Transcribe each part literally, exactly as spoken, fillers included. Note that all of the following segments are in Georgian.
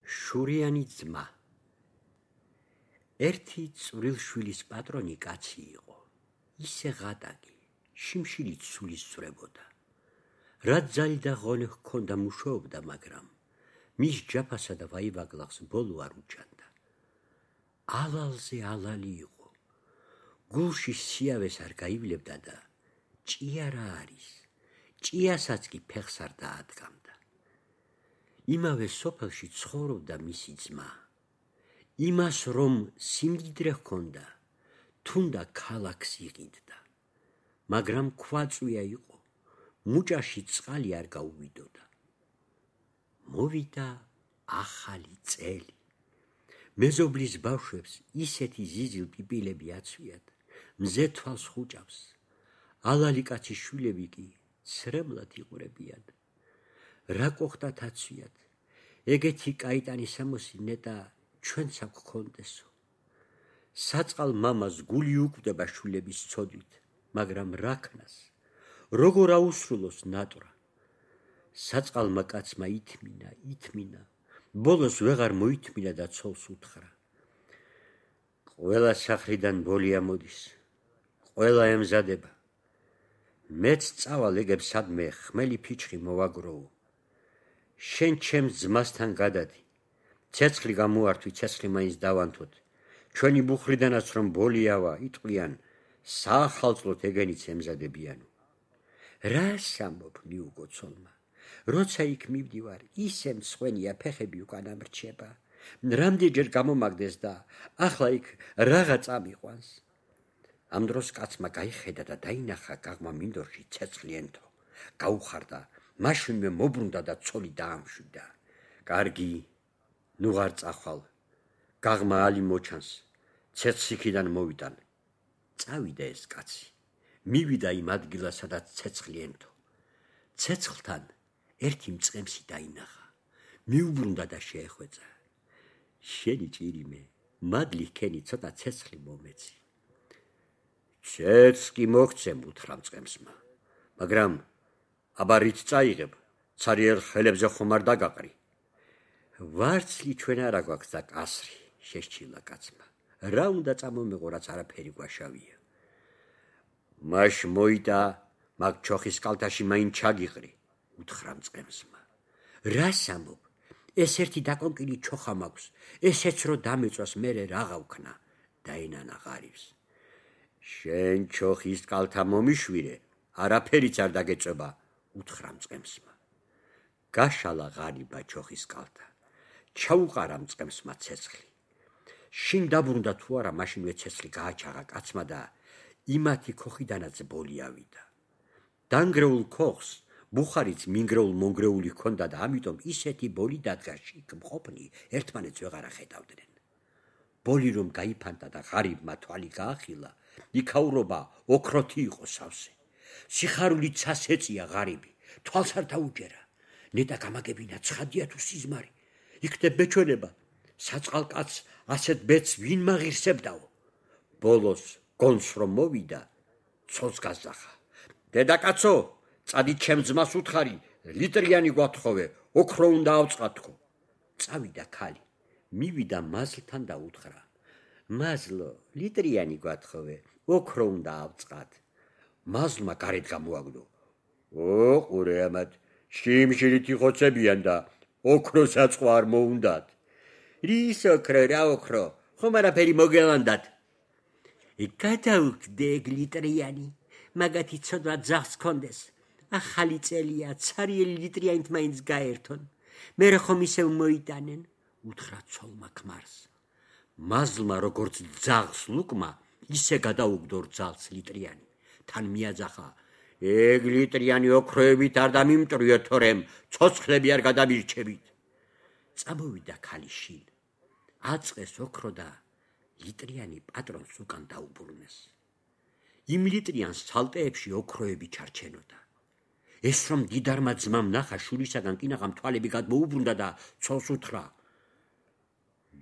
შურიანი ძმა. ერთი წვრილშვილის პატრონი კაცი იყო. ისე ღატაკი, შიმშილით სულის წვრებოდა. რაც ძალი და ღონე ჰქონდა მუშაობდა, მაგრამ მის ჯაფასა და ვაივაგლახს ბოლო არ უჭანდა. ალალზე ალალი იყო. გულში სიავეს არ გაივლებდა და ჭია რა არის. ჭიასაც კი ფეხს არ დაადგამდა. იმავე სოფელში ცხოვრობდა მისი ძმა. იმას რომ სიმდიდრე ჰქონდა, თუნდა ქალაქს იყიდდა. მაგრამ ქვაწვია იყო, მუჭაში წყალი არ გაუვიდოდა. მოვიდა ახალი წელი. მეზობლის ბავშვებს ისეთი ზიზილ პიპილები აცვიათ, მზე თვალს ხუჭავს. ალალი კაცის შვილები კი ცრემლად იყურებიან. რა კოხტათ აცვიათ, ეგეთი კაიტანი სამოსი ნეტა ჩვენც აქ გქონდესო. საწყალ მამას გული უკვდება შვილების ცოდვით, მაგრამ რა ქნას, როგორ აუსრულოს ნატრა. საწყალმა კაცმა ითმინა, ითმინა, ბოლოს ვეღარ მოითმინა და ცოლს უთხრა. ყველა სახლიდან ბოლი ამოდის, ყველა ემზადება. მეც წავალ ეგებ სადმე ხმელი ფიჩხი მოვაგროო. შენ ჩემს ძმასთან გადადი. ცეცხლი გამოართვი, ცეცხლი მაინც დავანთოთ. ჩვენი ბუხრიდანაც რომ ბოლი ავა, იტყვიან, საახალწლოდ ეგენიც ემზადებიანო. რას ამბობ, მიუგო ცოლმა. როცა იქ მივდივარ, ისე მსხვენია, ფეხები უკან ამრჩება. რამდენჯერ გამომაგდეს და ახლა იქ რაღა წამიყვანს. ამ დროს კაცმა გაიხედა და დაინახა გაღმა მინდორში ცეცხლი ენთო. გაუხარდა, მაშინვე მობრუნდა და ცოლი დაამშვიდა. კარგი, ნუ არ წახვალ. გაღმა ალი მოჩანს, ცეცხლს იქიდან მოვიტან. წავიდა ეს კაცი. მივიდა იმ ადგილას, სადაც ცეცხლი ენთო. ცეცხლთან ერთი მწყემსი დაინახა. მიუბრუნდა და შეეხვეწა. შენი ჭირიმე, მადლი ჰქენი, ცოტა ცეცხლი მომეცი. ცეცხლს კი მოგცემ, უთხრა მწყემსმა. მაგრამ აბა რით წაიღებ, ცარიელ ხელებზე ხომ არ დაგაყრი. ვარცლი ჩვენ არა გვაქვს და კასრი, შესჩილა კაცმა. რა უნდა წამომეღო, რაც არაფერი გვაშავია. მაშ მოიტა, მაგ ჩოხის კალთაში მაინ ჩაგიყრი, უთხრა მწყემსმა. რას ამბობ? ეს ერთი დაკონკილი ჩოხა მაქვს, ესეც რო დამეწვას, მერე რაღა ვქნა, დაენანა ღარიბს. შენ ჩოხის კალთა მომიშვირე, არაფერიც არ დაგეწება, უთხრა მწყემსმა. გაშალა ღარიბა ჩოხის კალთა. ჩაუყარა მწყემსმა ცეცხლი. შინ დაბრუნდა თუ არა, მაშინვე ცეცხლი გააჩაღა კაცმა და იმათი ქოხიდანაც ბოლი ავიდა. დანგრეულ ქოხს ბუხარიც მინგრეულ მონგრეული ჰქონდა და ამიტომ ისეთი ბოლი დადგა შიგ მყოფნი, ერთმანეთს ვეღარ ახედავდნენ. ბოლი რომ გაიფანტა და ღარიბმა თვალი გაახილა, იქაურობა ოქროთი იყო სავსე. სიხარულით ცას ეწია ღარიბი, თვალს არ დაუჯერა. ნეტა გამაგებინა ცხადია თუ სიზმარი. იქნებ ბეჩვენება, საწყალ კაცს ასეთ ბედს ვინ მაღირსებდაო. ბოლოს გონს რომ მოვიდა, ცოლს გაზახა. დედაკაცო, წადით ჩემ ძმას უთხარი, ლიტრიანი გვათხოვე, ოქრო უნდა ავწყათო. წავიდა ქალი, მივიდა მაზლთან და უთხრა. მაზლო, ლიტრიანი გვათხოვე, ოქრო უნდა ავწყათ. მაზლმა გარეთ გამოაგდო. ო, ყურე ამათ, შიმშილით იხოცებიან და ოქროს აწყვა არ მოუნდათ. რის ოქრო, რა ოქრო, ხომ არაფერი მოგელანდათ. გადაუგდე ეგ ლიტრიანი, მაგათი ცოდვა ძაღლს ჰქონდეს. ახალი წელია, ცარიელი ლიტრიანით მაინც გაერთონ. მერე ხომ ისევ მოიტანენ, უთხრა ცოლმა ქმარს. მაზლმა როგორც ძაღლს ლუკმა, ისე გადაუგდო რძალს ლიტრიანი. თან მიაძახა, ეგ ლიტრიანი ოქროებით არ დამიმტრიოთ, თორემ ცოცხლები არ გადამირჩებით. წამოვიდა ქალი შინ. აწყეს ოქრო და ლიტრიანი პატრონს უკან დაუბრუნეს. იმ ლიტრიანს ცალტეებში ოქროები ჩარჩენოდა. ეს რომ დიდარმა ძმამ ნახა, შურისაგან კინაღამ თვალები გადმოუბრუნდა და ცოლს უთხრა.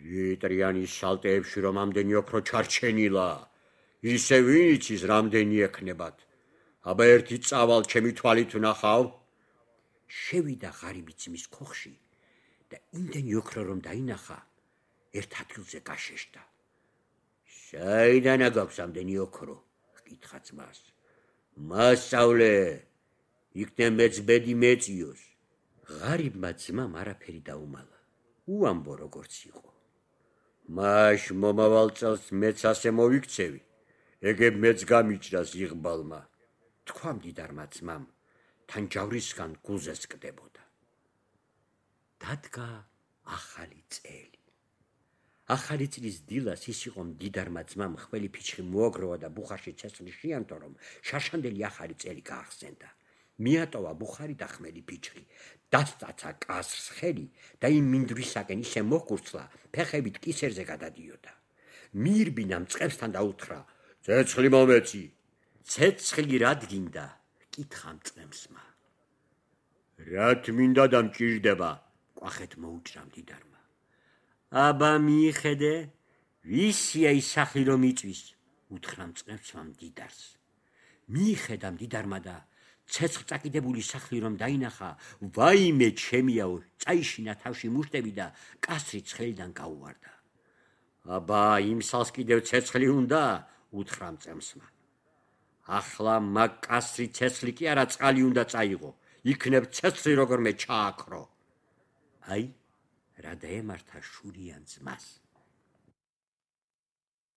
ლიტრიანის სალტეებში რომ ამდენი ოქრო ჩარჩენილა, ისე ვინ იცის რამდენი ექნებათ. აბა ერთი წავალ ჩემი თვალით ვნახავ. შევიდა ღარიბი ძმის ქოხში და იმდენი ოქრო რომ დაინახა, ერთ ადგილზე გაშეშდა. საიდანა გაქვს ამდენი ოქრო? ჰკითხა ძმას. მასწავლე, იქნებ მეც ბედი მეწიოს. ღარიბმა ძმამ არაფერი დაუმალა. უამბო როგორც იყო. მაშ მომავალ წელს მეც ასე მოვიქცევი, ეგებ მეც გამიჭრას იღბალმა. თქვა მდიდარმა ძმამ, თან ჯავრისგან გულზეც კდებოდა. დადგა ახალი წელი. ახალი წლის დილას ის იყო მდიდარმა ძმამ ხმელი ფიჩხი მოაგროვა და ბუხარში ცეცხლი შეანთო, რომ შაშანდელი ახალი წელი გაახსენდა. მიატოვა ბუხარი და ხმელი ფიჩხი, დასტაცა კასრს ხელი და იმ მინდვრისაკენ ისე მოჰკურცლა, ფეხებით კისერზე გადადიოდა. მიირბინა მწყებსთან და უთხრა, ცეცხლი მომეცი. ცეცხლი რად გინდა? კითხა მწყემსმა. რათ მინდა და მჭირდება? კვახეთ მოუჭრა მდიდარმა. აბა მიიხედე, ვისია ის სახლი რომ იწვის? უთხრა მწყემსმა მდიდარს. მიიხედა მდიდარმა და ცეცხლ წაკიდებული სახლი რომ დაინახა, ვაიმე ჩემიაო, წაიშინა თავში მუშტები და კასრი ცხელიდან გაუვარდა. აბა იმ სალს კიდევ ცეცხლი უნდა? უთხრა მწყემსმა. ახლა მაგ კასრი ცეცხლი კი არა, წყალი უნდა წაიღო, იქნებ ცეცხლი როგორმე ჩააქრო. აი, რა დაემართა შურიან ძმას.